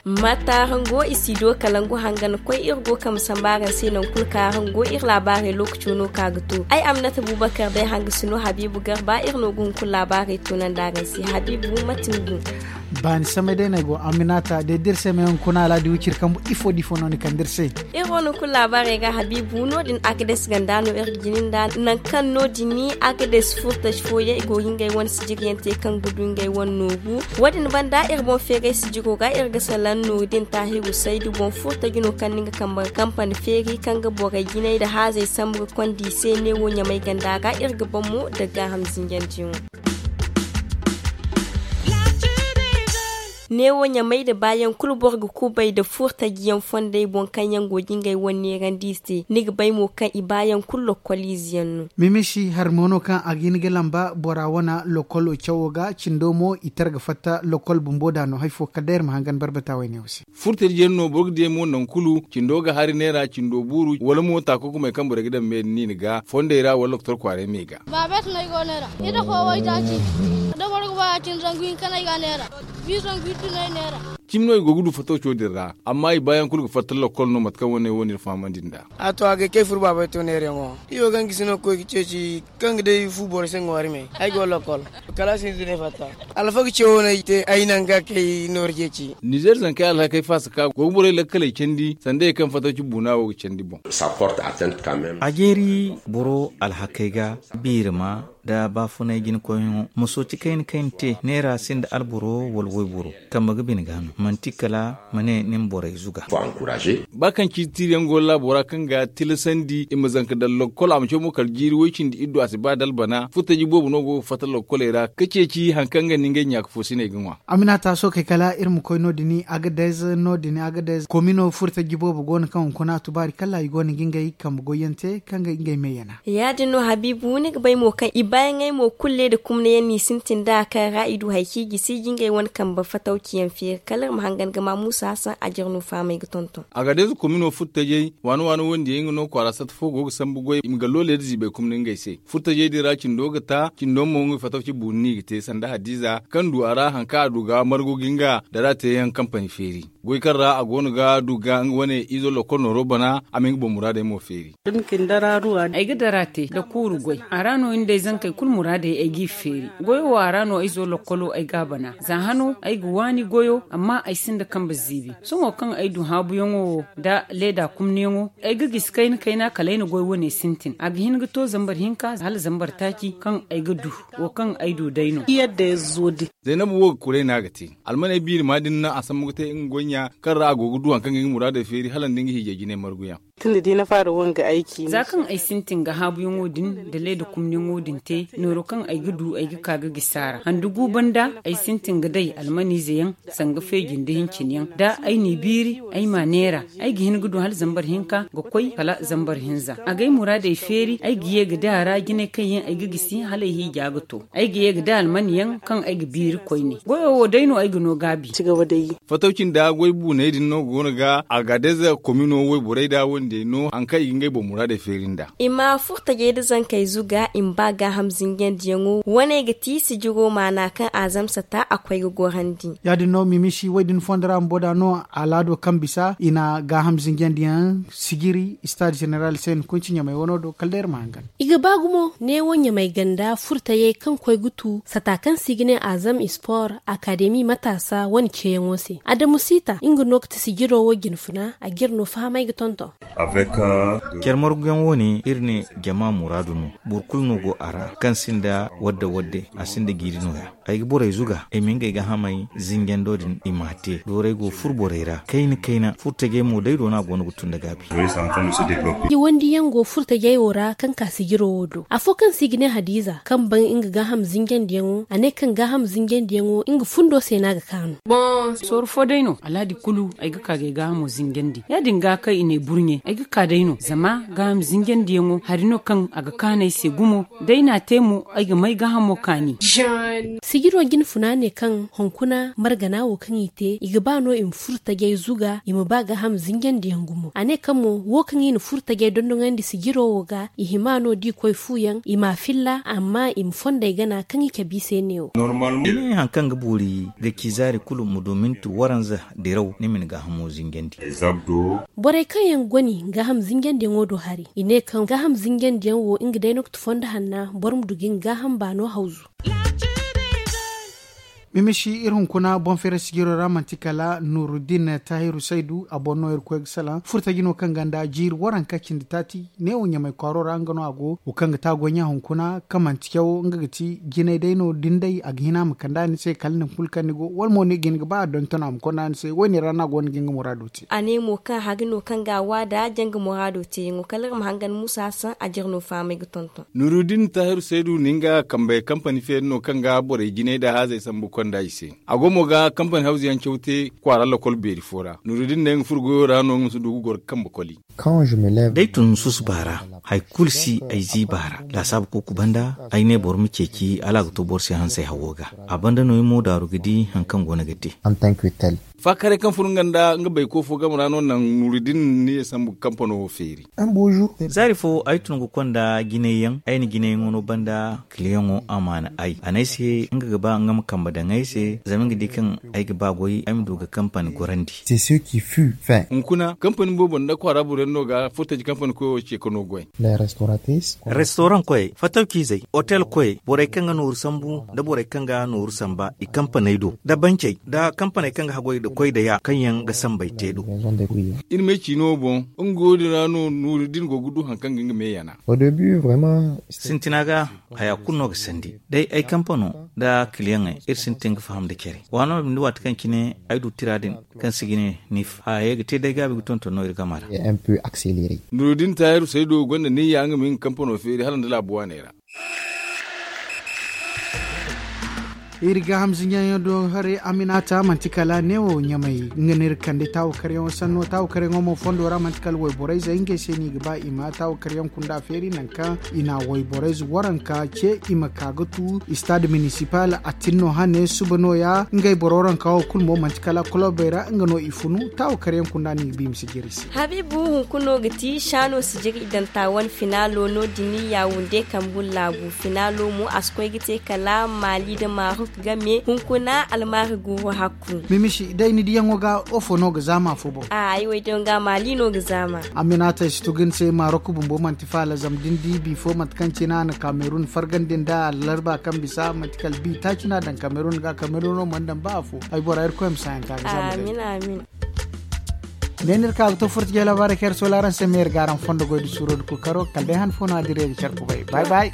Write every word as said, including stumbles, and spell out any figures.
Mata hango i si do kalangu hangan koy iri go kambe sambu araŋ se nangu kulu kaŋ araŋ go iri laabaarey lookaco no ka ga to ay amnata bubakar day hanga si no habiibu garba iri no ga hunkuna laabaarey tunandi araŋ se habiibu mate ni gu. Baani samay day no ay go amminata day da iri se ma yaŋ kuna alaadi wiciri kambu ifo da ifo no ni kande iri se. Iri wane kulu laabaarey ga habiibu no- din agades ganda no iri ga jini nda nangu kaŋ no- din agades furtaji fooyaŋ i go ga ngey wane sijiriyaŋ te kaŋ ga du ngey wane nooru. Wo- din banda iri boŋ feeray sijiro ga iri ga salaŋ nooru din taahiru saydu boŋ furtaji no kaŋ no nga kambe ga kampani feeri kaŋ ga borey jinay nda haazey sambu ga konda i se neewo ɲamay ganda ra iri ga boŋ mo nda gaaham zinjandiyaŋo. Neewo ɲamay nda baayaŋ kulu boro ga kubay nda furtajiyaŋ fondey boŋ kaŋ yaŋ go ga ngey wane neerandi i se ni ga bay mo kaŋ i baayaŋ kulu lokkol ize yaŋ no. Mimisi hari mo no kaŋ a ga hin ga lamba bora wane lokkolo cawo ga cindo mo i tara ga fatta lokkol bumbo da no hari fo kala day iri ma hangan barbata wayne wo se. Furtajiyaŋ no boro ga di yaŋ mo nangu kulu cindo ga hari neera cindo buuru wala mo taako kumey kaŋ borey ga daŋ me din niini ga fondey ra wala doktor kwaaray me ga. Baabet no ay go neera i da fo waytaaci da boro ga ba ya- cine zangu hinka no ay ga neera. Bi zangu iddu no ay neera. Cimi no i go ga du fatawco din ra amma i baayaŋ kulu ga fatta lokkol no mate kaŋ wane wo no iri fahamandi nd'a. A to a ga ay kay furo baabey to neerayaŋo. I wo ga nga si no ga koy ga ceeci kaŋ ga day fu boro se ŋwaari me ay go lokkol. Kala a si hinza no ay fatta alfaga ce wo no ay te ay naŋ ga kay nooru ceeci. Nizeer zankey alhakey faasa ka go ga borey lakkaley candi sanda ye kaŋ fatawci buuna wo ga candi boŋ. A jeeri boro alhakey ga biirima nda baafunay jinakoyyaŋo ma sooci kayna kayna te neera sinda alboro wala wayboro kambe ga bine ga no manti kala ma ne ni ma borey zuga. Ba kaŋ ciiti tiiriyaŋ go laabo ra kaŋ ga tilasandi i ma zanka daŋ lokkol a ma caw mo kala jiiri way cindi iddu a si ba da albana furtaji boobo no go ga fatta lokkoley ra ga ceeci hari kaŋ ga ni ngey ɲaaka foosiney ga ŋwa. Aminata sookey kala iri ma koy no- din agadez no- din agadez komino furtaji boobo go no kaŋ hunkuna tubaari kala i go no ga ngey kambe goyyaŋ te kaŋ ga ngey me yana. Ya- din no habiibu ni ga bay mo kaŋ i baayaŋey mo kulu leeda kumnayaŋ no i sintin nd'a kaŋ ra i du hari kaŋ i gisi ga ngey wane kambe fatawciyaŋ feeri kala iri ma hangan ga ma muusa hasan a jare no fahamey ga tonton. Agadez komino furtajey waani waani wondiyaŋ nga no kwaara satta fo go ga sambu goy i ma gallo leeda ziibay kumni ngey se. Furtajey din ra cindo ga ta cindo mo nga fatawci buuni no i ga te sanda hadiiza kaŋ du a ra hari kaŋ a du ga margu ga nga dara teeyaŋ kampani feeri. Goy kaŋ ra a go no ga du ga nga wane izo lokkol nooro bana a ma nga boŋ muraadey mo feeri. Ay ga dara te nda kuuru goy a ra no ni da ay zankey kulu muraadey ay g'i feeri. Goyo wo a ra no ay zo lokkolo ay g'a bana za hano ay ga waani goyo amma ay sinda kambe ziibi. Sohõ kaŋ ay du haabuyaŋo wo nda leeda kumniyaŋo ay ga gisi kayna kayna kala ay na goy wane sintin a ga hin ga to zambar hinka hala zambar taaci kaŋ ay ga du. Wo kaŋ ay du day no. Zaynabu wo ga kuray no a ga te. Almaney biiri ma din no a sambu ga te nga goy ɲa kaŋ ra a go ga du hari kaŋ ga nga muraadey feeri hala nda nga hiijay jinay marguyaŋ. Za kaŋ ay sintin ga haabuyaŋo din nda leeda kumniyaŋo din te nooro kaŋ ay ga du ay ga ka ga gisi a ra handu gu banda ay sintin ga day almaniize yaŋ sanga feeji nda hincin yaŋ da ay n'i biiri ay m'a neera. Ay ga hin ga du hala zambar hinka ga koy kala zambar hinza a ga ay muraadey feeri ay ga ye ga day a ra jinay kaŋ yaŋ ay ga gisi hala ay hiija ga to. Ay ga ye ga day almani yaŋ kaŋ ay ga biiri koyne goyo wo day no ay ga no gaabi. Fatawci nda goy buuney din no go no ga agadez komino wayborey da wondiyey no hari kaŋ i ga ngey boŋ muraadey feeri nd'a. I ma furtajey nda zankey zuga i ma ba gaaham zinjandiyaŋo wane ga ti sijiro maana kaŋ a zamsa ta a koy ga gorandi. Ya- din no mimisi way- din fondo ra bumbo da no alaado kaŋ bisa i na gaaham zinjandiyaŋ sijiri istaad zeneral se ni kunci ɲamay wano do kala day iri ma hangan. I ga ba gumo neewo ɲamay ganda furtayey kaŋ koy ga tu sata kaŋ se i ga ne azam sport akademi mataasa wane ceeyaŋo se adamu siita nga no ga ti sijiro wo jinfuna a ga iri no fahamay ga tonton. Care marguyaŋ wo- ne iri ne jama muraadu no. Boro kulu no go a ra kaŋ sinda wadde wadde a sinda jiiri nooya. Ay ga borey zuga ay ma ngey gaahamey zinjando din i m'a te doorey go furo borey ra kayna kayna furtajey mo day do no a go no ga tun nda gaabi. Wandiyaŋ go furtajey wo ra kaŋ ka sijiro wo do afo kaŋ se i ga ne hadiiza kaŋ ban nga gaaham zinjandiyaŋo a ne kaŋ gaaham zinjandiyaŋo nga fundo se no a ga kaanu. Sooru fo day no alaadi kulu ay ga ka ga ay gaahamo zinjandi ya- din ga kaŋ i ne burɲe. Ay ga ka day no zama gaaham zinjandiyaŋo hari no kaŋ a ga kaanu ay se gumo. Da ay n'a te mo, ay ga may gaahamo kaani. Sijiro jine funa ne kaŋ hunkuna margana wo kaŋ i te i ga ba no i ma furo tajay zuga i ma ba gaaham zinjandiyaŋ gumo a ne kaŋ mo wo kaŋ i na furo tajay dondoŋandi sijiro wo ga i hima no da i koy fu yaŋ i m'a filla amma i ma fondey gana kaŋ i cabe i se neewo. Ni ne hari kaŋ ga boori ga ci zaari kulu ma du minti waranza diraw ni ma ni gaahamo zinjandi. Borey kaŋ yaŋ goni gaaham zinjandiyaŋo do hari i ne kaŋ gaaham zinjandiyaŋ wo nga day no ga ti fondo hanna boro ma du ga nga gaaham baano hawzu. Mimisi iri hunkuna boŋ feera sijiro ra manti kala nuruddin tahiru saydu a boŋ no iri koy ga salaŋ furtaji no kaŋ ganda jiiri waranka cindi taati neewo ɲamay kwaaro ra nga no a go wo kaŋ ga te a goy ɲa hunkuna kaŋ manti cawo nga ga ti jinay day no da ni day a ga hin a ma kande a ni se kala nangu kulu kaŋ ni go wala mo ni ga hin ga ba a donton a ma konda ni se wo- ne ra no a go no ga nga muraado te. A ne mo kaŋ hari no kaŋ ga a waada janga muraado teeyaŋo kala iri ma hangan musa hassan a jire no fahamay ga tonton. Nuruddin tahiru saydu nin ga kambey kampani feeri no kaŋ ga borey jinay nda haazey sambu konda i se. A go mo ga kampani hawzu yaŋ caw te kwaara lokol beeri fo ra nuruddin ne nga furo goyo ra no nga ma si du ga goro ga kambe koli. D'ay tun susuba ra hari kulu si ay ziiba ra laasaabu kuuku banda ay ne boro ma ceeci hala a ga to boro se hansey hawo ga. A banda no ay mo daaru ga di hari kaŋ go no ga te. Faakaray kaŋ fun nga nda nga bayko fo game ra no naŋ nuruddin ni ye sambu ga kampano wo feeri. Zaari fo ay tun ga konda jinay yaŋ ay na jinay yaŋo no banda kiliyaŋo amaana ay a ne ay se nga ga ba nga ma kambe daŋ ay se zama nga di kaŋ ay ga ba goy ay ma du ga kampani gorandi. Hunkuna kampani boobo nda kwaara boro yaŋ no ga furtaji kampani koyo ce ka no goy. Restoraŋ koyey fatawciizey otel koyey borey kaŋ ga nooru sambu nda borey kaŋ ga nooru samba i kampaney do nda bancey nda kampaney kaŋ ga haggoy nda koy nda ya kaŋ yaŋ ga sambey te do. Iri ma ay ciino boŋ nga wo- din ra no nuuru da iri go ga du hari kaŋ ga nga me yana. Sintina ga haya kulu no ga sandi day ay kampano nda kiliyaŋey iri sintin ga faham nda care waano ma binde waati kaŋ cine ay du tira din kaŋ si ga ne nif haya ye ga te day gaabi ga tonton no iri game ra. Nuuru da ni taahiru saydo gonda niyya nga ma hin ga kampano feeri hala nda laabu waaney ra. Iri gaaham zinjayaŋ do haray aminata manti kala neewo ɲamay nga no iri kande taawakaryaŋo sanno taawakaryaŋo mo fondo ra manti kala wayborayzey ngey se no i ga ba i ma taawakaryaŋ kunda feeri nangu kaŋ i na wayborayze waranka ce i ma ka ga tu istad minisipal a tin no hane suba nooya ngey boro waranka wo kulu mo manti kala kulobey ra nga no i funu taawakaryaŋ kunda no i ga ba i ma si jiri se. Habiibu hunkuna no ga ti saano si jiri idanta wane finaalo no- din yaawunde kambu laabu finaalo mo a si koy ga te kala maali nda maarok game hunkuna almaari guuru hakku. Mimisi day ni diyaŋo ga ofo no ga zaama fo boŋ? Ay waydiyaŋo ga maali no ga zaama. Aminata ay si tugu ni se maarok bumbo manti faala zama da ni di bifo mate kaŋ cine a na kamerun fargandi nda allarba kaŋ bisa manti kala bi taaci no a daŋ kamerun ga kamerun no mana daŋ ba afo. Ay bora irkoy ma saayaŋ ka ga zaama day. Amin amin. Ne no iri ka ga to furta jey laabaarey kaŋ iri soola araŋ se ma iri ga araŋ fondo goy da suuro da kookaro kala day han fo no a dira iri ga care kubay bay bay.